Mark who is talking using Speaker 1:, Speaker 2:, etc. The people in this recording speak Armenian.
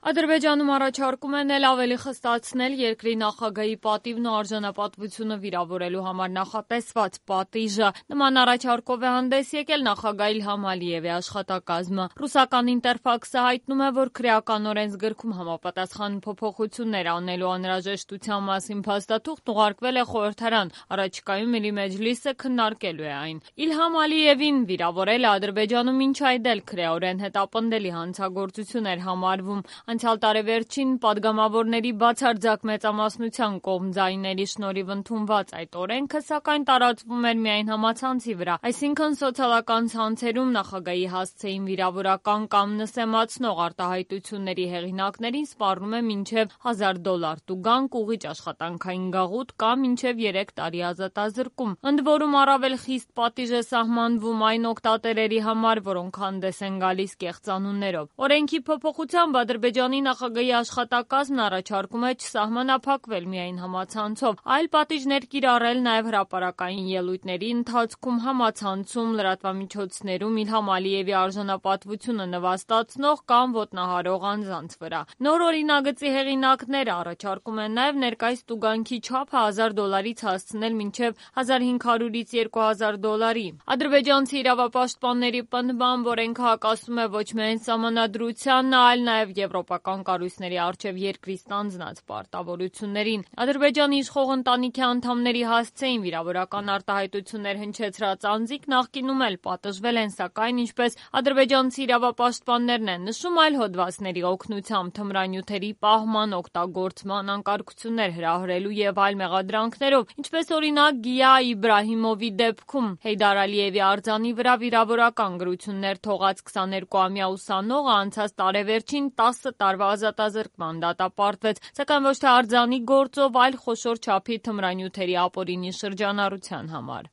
Speaker 1: Ադրբեջանում առաջարկում են էլ ավելի խստացնել երկրի նախագահի պատիվն ու արժանապատվությունը վիրավորելու համար նախատեսված պատիժը։ Նման առաջարկով է հանդես եկել նախագահ Իլհամ Ալիևի աշխատակազմը։ Ռուսական Ինտերֆաքսը հայտնում է, որ քրեական օրենսգրքում համապատասխան փոփոխություններ անելու անհրաժեշտության մասին փաստաթուղթ ուղարկվել է խորհրդարան, առաջիկայում Միլի Մեջլիսը քննարկելու է այն։ Իլհամ Ալիևին վիրավորելը Ադրբեջանում մինչ այդ էլ քրեորեն հետապնդելի հանցագործություն էր համարվում։ Անցյալ տարեվերջին падգամավորների բացարձակ մեծամասնության կողմ ձայների շնորհիվ ընդունված այդ օրենքը, սակայն տարածվում էր միայն համացանցի վրա, այսինքն սոցիալական ցանցերում նախագահի հասցեին վիրավորական կամ նսեմացնող արտահայտությունների հեղինակներին սպառնում է մինչև $1000 տուգանք, ուղիճ աշխատանքային գաղութ կամ մինչև 3 տարի ազատազրկում։ Ընդ որում առավել խիստ պատիժ է սահմանվում այն օգտատերերի համար, որոնք հանդես են գալիս կեղծանուններով։ Օրենքի փոփոխությամբ Ադրբեջանի նախագահի աշխատակազմն առաջարկում է չսահմանափակվել միայն համացանցով, այլ պատիժներ կիրառել նաև հրապարակային ելույթների ընթացքում, համացանցում, լրատվամիջոցներում Իլհամ Ալիևի արժանապատվությունը նվաստացնող կամ ոտնահարող անձանց վրա։ Նոր օրինագծի հեղինակները առաջարկում են նաև ներկայիս տուգանքի չափը $1000-ից հասցնել մինչև $1500-ից $2000։ Ադրբեջանցի իրավապաշտպանների պնդմամբ օրենքը հակասում է ոչ միայն սահմանադրությանն, այլ նաև եվրոպական կառույցների առջև երկրի ստանձնած պարտավորություններին։ Ադրբեջանի իշխող ընտանիքի անդամների հասցեին վիրավորական արտահայտություններ հնչեցրած անձիկ նախկինում էլ պատժվել են, սակայն ինչպես ադրբեջանցի իրավապաշտպաններն են նշում, այլ հոդվածների օգնությամբ թմրանյութերի պահման, օգտագործման, անկարգություններ հրահրելու եւ այլ մեղադրանքներով, ինչպես օրինակ Գիա Իբրահիմովի դեպքում։ Հեյդար Ալիևի արձանի վրա վիրավորական գրություններ թողած 22-ամյա ուսանողը անցած տարեվերջին 10 տարվա ազատազրկման դատապարտվեց, սակայն ոչ թե արձանի գործով, այլ խոշոր չափի թմրանյութերի ապօրինի շրջանառության համար։